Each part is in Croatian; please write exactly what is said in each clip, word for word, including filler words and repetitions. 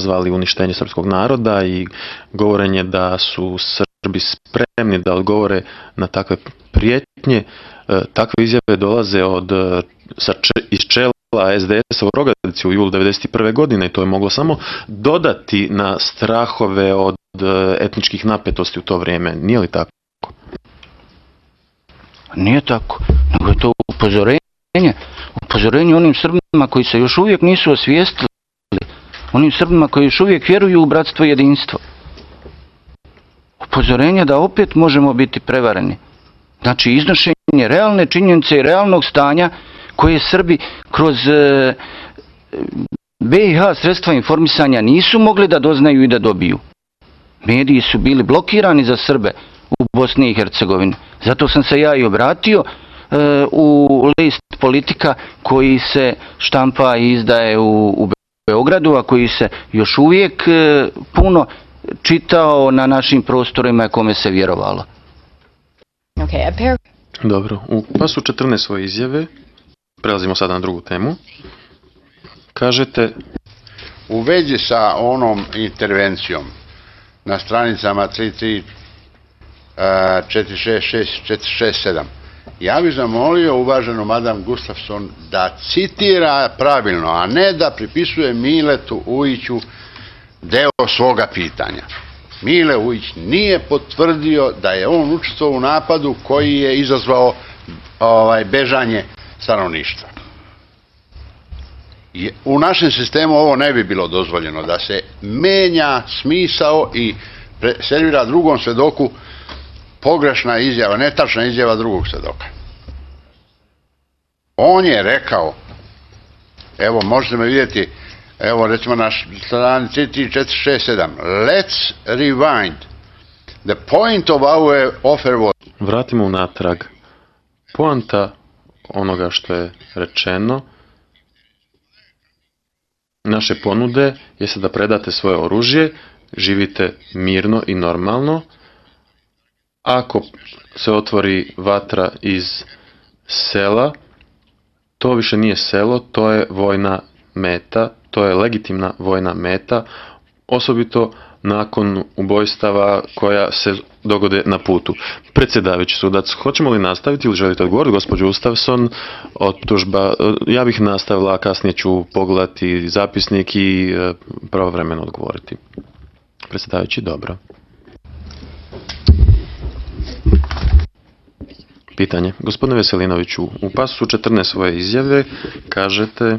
izazvali uništenje srpskog naroda i govorenje da su Srbi spremni da odgovore na takve prijetnje. Takve izjave dolaze od, iz čela es de esa u Rogatici u julu devedeset prve godine i to je moglo samo dodati na strahove od etničkih napetosti u to vrijeme. Nije li tako? Nije tako, nego je to upozorenje. Upozorenje onim Srbima koji se još uvijek nisu osvijestili, onim Srbima koji još uvijek vjeruju u bratstvo i jedinstvo. Upozorenje da opet možemo biti prevareni. Znači iznošenje realne činjenice i realnog stanja koje Srbi kroz be i ha sredstva informisanja nisu mogli da doznaju i da dobiju. Mediji su bili blokirani za Srbe u Bosni i Hercegovini. Zato sam se ja i obratio e, u list Politika koji se štampa i izdaje u, u Beogradu, a koji se još uvijek e, puno čitao na našim prostorima kome se vjerovalo. Okay, Dobro, u pasu četrnaest svoje izjave, prelazimo sada na drugu temu, kažete... U vezi sa onom intervencijom na stranicama tri tri četiri šest šest četiri šest sedam, ja bih zamolio uvaženu madam Gustafson da citira pravilno, a ne da pripisuje Miletu Ujiću deo svoga pitanja. Mile Ujić nije potvrdio da je on učestvovao u napadu koji je izazvao ovaj, bežanje stanovništva. U našem sistemu ovo ne bi bilo dozvoljeno, da se menja smisao i servira drugom svedoku pogrešna izjava, netačna izjava drugog svedoka. On je rekao, evo možete me vidjeti, evo recimo na strani tri tri četiri šest sedam, let's rewind. The point of our offer was... Vratimo unatrag. Poanta onoga što je rečeno, naše ponude jeste da predate svoje oružje, živite mirno i normalno. Ako se otvori vatra iz sela, to više nije selo, to je vojna meta, to je legitimna vojna meta, osobito nakon ubojstava koja se dogode na putu. Predsjedavajući sudac, hoćemo li nastaviti ili želite odgovoriti, gospođo Gustafson? Optužba, ja bih nastavila, a kasnije ću pogledati zapisnik i pravovremeno odgovoriti. Predsjedavajući, dobro. Pitanje. Gospodine Veselinoviću, u pasu četrnaest svoje izjave kažete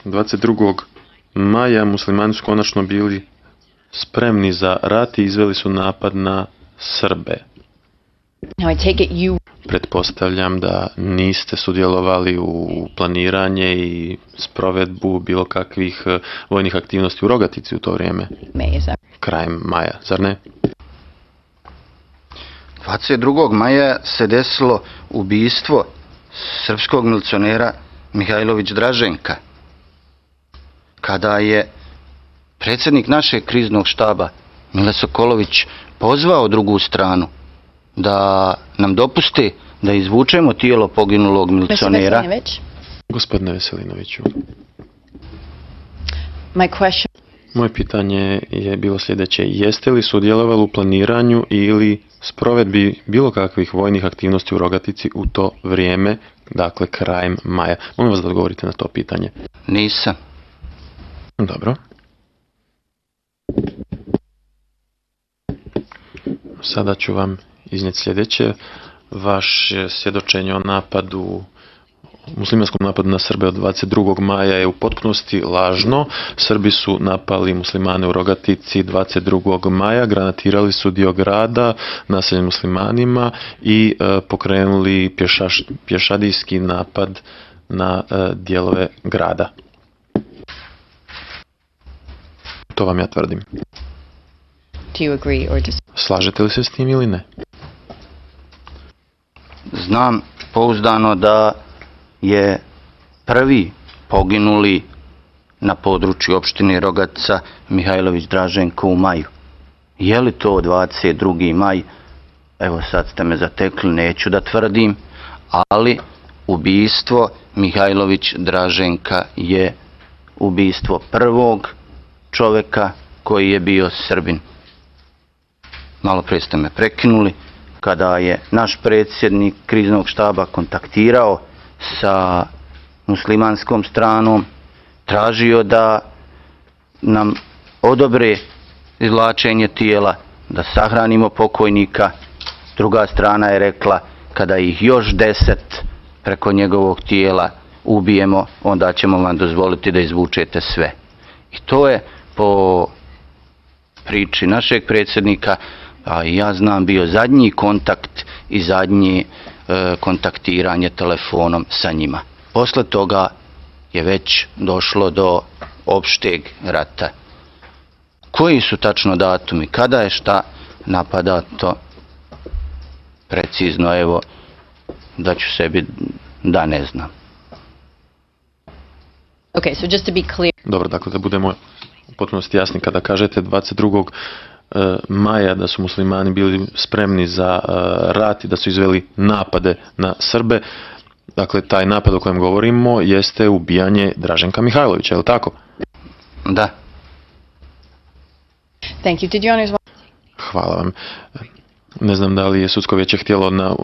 dvadeset drugog maja muslimani su konačno bili spremni za rat i izveli su napad na Srbe. Pretpostavljam da niste sudjelovali u planiranje i sprovedbu bilo kakvih vojnih aktivnosti u Rogatici u to vrijeme. Krajem maja, zar ne? dvadeset drugog maja se desilo ubijstvo srpskog milicionera Mihajlović Draženka, kada je predsjednik našeg kriznog štaba Mile Sokolović pozvao drugu stranu da nam dopuste da izvučemo tijelo poginulog milicionera. Gospodine Veselinoviću, moje pitanje je bilo sljedeće. Jeste li sudjelovali u planiranju ili sprovedbi bilo kakvih vojnih aktivnosti u Rogatici u to vrijeme, dakle krajem maja? Molim vas da odgovorite na to pitanje. Nisam. Dobro. Sada ću vam iznijeti sljedeće. Vaše svjedočenje o napadu, muslimanskom napadu na Srbe od dvadeset drugog maja je u potpunosti lažno. Srbi su napali muslimane u Rogatici dvadeset drugog maja, granatirali su dio grada naseljen muslimanima i e, pokrenuli pješaš, pješadijski napad na e, dijelove grada. To vam ja tvrdim. Slažete li se s tim ili ne? Znam pouzdano da je prvi poginuli na području opštine Rogatica Mihajlović Draženko u maju. Je li to dvadeset drugi maj? Evo sad ste me zatekli, neću da tvrdim, ali ubijstvo Mihajlović Draženka je ubijstvo prvog čovjeka koji je bio Srbin. Malo prije ste me prekinuli, kada je naš predsjednik kriznog štaba kontaktirao sa muslimanskom stranom, tražio da nam odobre izvlačenje tijela, da sahranimo pokojnika. Druga strana je rekla, kada ih još deset preko njegovog tijela ubijemo, onda ćemo vam dozvoliti da izvučete sve. I to je po priči našeg predsjednika, a ja znam, bio zadnji kontakt i zadnji e, kontaktiranje telefonom sa njima. Posle toga je već došlo do opšteg rata. Koji su tačno datumi, kada je šta napadato, precizno, evo, da ću sebi da ne znam. Okay, so just to be clear. Dobro, dakle, da budemo u potpunosti jasni, kada kažete dvadeset drugog maja da su muslimani bili spremni za rat i da su izveli napade na Srbe, dakle, taj napad o kojem govorimo jeste ubijanje Draženka Mihajlovića, je li tako? Da. Thank you. Did your honors want... Hvala vam. Ne znam da li je sudsko vijeće htjelo na,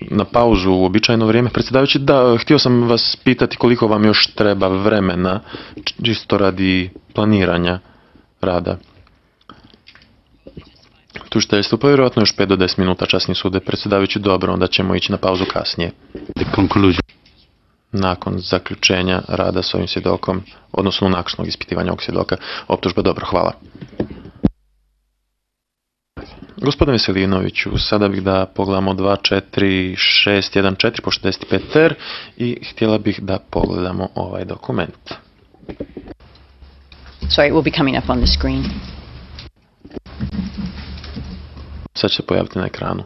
na pauzu u običajno vrijeme. Predsjedavajući, da, htio sam vas pitati koliko vam još treba vremena, čisto radi planiranja rada. Tužiteljstvo, pa vjerojatno još pet do deset minuta, časni sude. Predsjedavajući, dobro, onda ćemo ići na pauzu kasnije. Nakon zaključenja rada s ovim svjedokom, odnosno nakon ispitivanja ovog svjedoka, optužba, dobro, hvala. Gospodine Veselinoviću, sada bih da pogledamo dva četiri šest jedan četiri po šezdeset pet ter i htjela bih da pogledamo ovaj dokument. Sorry, it will be coming up on the screen. Sad će se pojaviti na ekranu.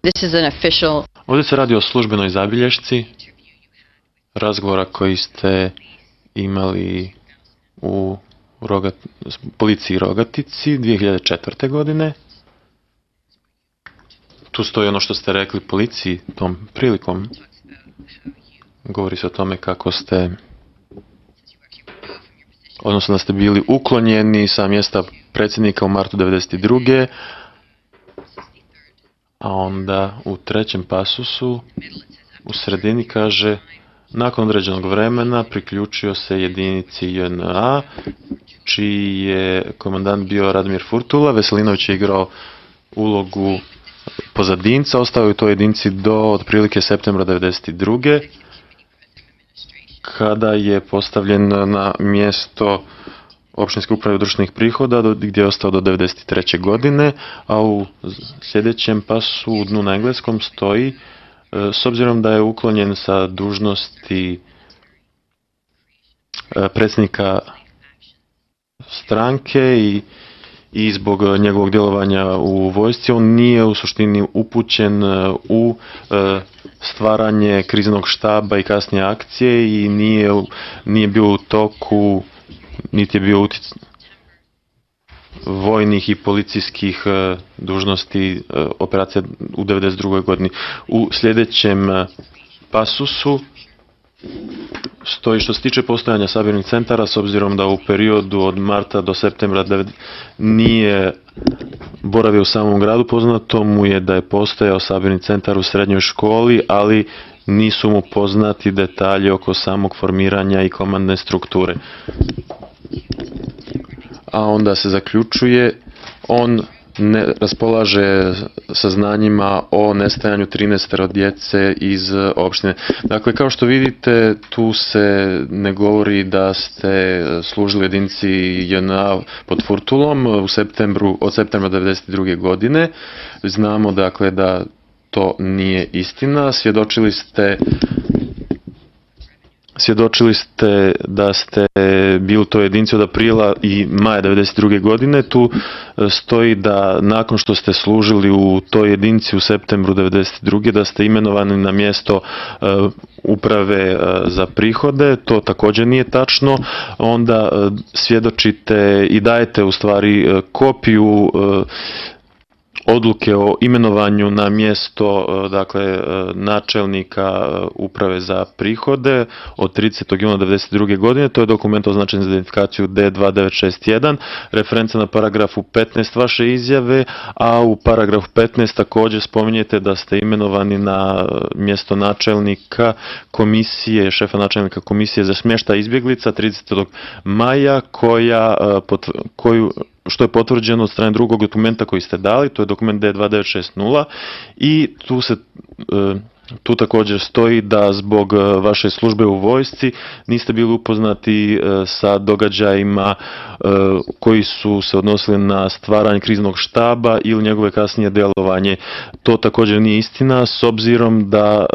This is an official... Ovdje se radi o službenoj zabilješci razgovora koji ste imali u Rogat, policiji Rogatici dvije hiljade četvrte. godine. Tu stoji ono što ste rekli policiji tom prilikom. Govori se o tome kako ste, odnosno da ste bili uklonjeni sa mjesta predsjednika u martu devedeset druge. A onda u trećem pasusu u sredini kaže: nakon određenog vremena priključio se jedinici J N A, čiji je komandant bio Radomir Furtula. Veselinović je igrao ulogu pozadinca, ostao je u toj jedinici do otprilike septembra devedeset druge. kada je postavljen na mjesto općinske uprave društvenih prihoda, gdje je ostao do devedeset treće. godine, a u sljedećem pasu u dnu na engleskom stoji: s obzirom da je uklonjen sa dužnosti predsjednika stranke i, i zbog njegovog djelovanja u vojsci, on nije u suštini upućen u stvaranje kriznog štaba i kasnije akcije i nije, nije bio u toku, niti je bio utic vojnih i policijskih dužnosti operacija u devedeset drugoj. godini. U sljedećem pasusu stoji: što se tiče postojanja sabirnih centara, s obzirom da u periodu od marta do septembra nije boravio u samom gradu, poznato mu je da je postojao sabirni centar u srednjoj školi, ali nisu mu poznati detalji oko samog formiranja i komandne strukture. A onda se zaključuje: on ne raspolaže saznanjima o nestajanju trinaest djece iz opštine. Dakle, kao što vidite, tu se ne govori da ste služili jedinici J N A pod Furtulom u septembru, od septembra devedeset druge. godine. Znamo, dakle, da to nije istina. Svjedočili ste Svjedočili ste da ste bili u toj jedinici od aprila i maja devedeset druge. godine. Tu stoji da nakon što ste služili u toj jedinici u septembru devedeset druge. da ste imenovani na mjesto uh, uprave uh, za prihode. To također nije tačno. Onda uh, svjedočite i dajete u stvari uh, kopiju uh, odluke o imenovanju na mjesto dakle načelnika uprave za prihode od tridesetog juna devedeset druge godine. To je dokument označen za identifikaciju D dva devet šest jedan, referenca na paragrafu petnaest vaše izjave, a u paragrafu petnaest također spominjete da ste imenovani na mjesto načelnika komisije, šefa načelnika komisije za smještaj izbjeglica tridesetog maja, koja, koju što je potvrđeno od strane drugog dokumenta koji ste dali, to je dokument D dva devet šest nula, i tu se tu također stoji da zbog vaše službe u vojsci niste bili upoznati sa događajima koji su se odnosili na stvaranje kriznog štaba ili njegove kasnije djelovanje. To također nije istina, s obzirom da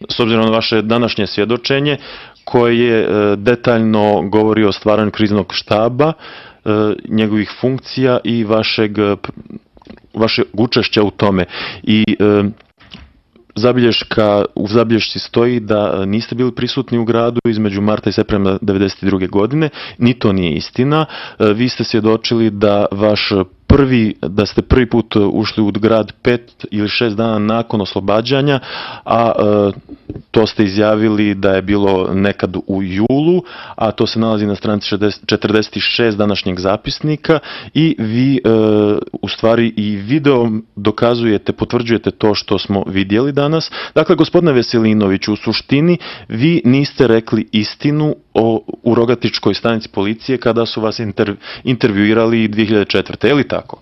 s obzirom na vaše današnje svjedočenje koje detaljno govori o stvaranju kriznog štaba, njegovih funkcija i vašeg, vašeg učešća u tome. I e, zabilješka, u zabilješci stoji da niste bili prisutni u gradu između marta i septembra devedeset druge godine, ni to nije istina. E, vi ste svjedočili da vaš prvi, da ste prvi put ušli u grad pet ili šest dana nakon oslobađanja, a e, to ste izjavili da je bilo nekad u julu, a to se nalazi na stranici četrdeset šest današnjeg zapisnika, i vi e, u stvari i video dokazujete, potvrđujete to što smo vidjeli danas. Dakle, gospodine Veselinoviću, u suštini vi niste rekli istinu o, u Rogatičkoj stanici policije kada su vas inter, intervjuirali dvije hiljade četvrte. Je li tako?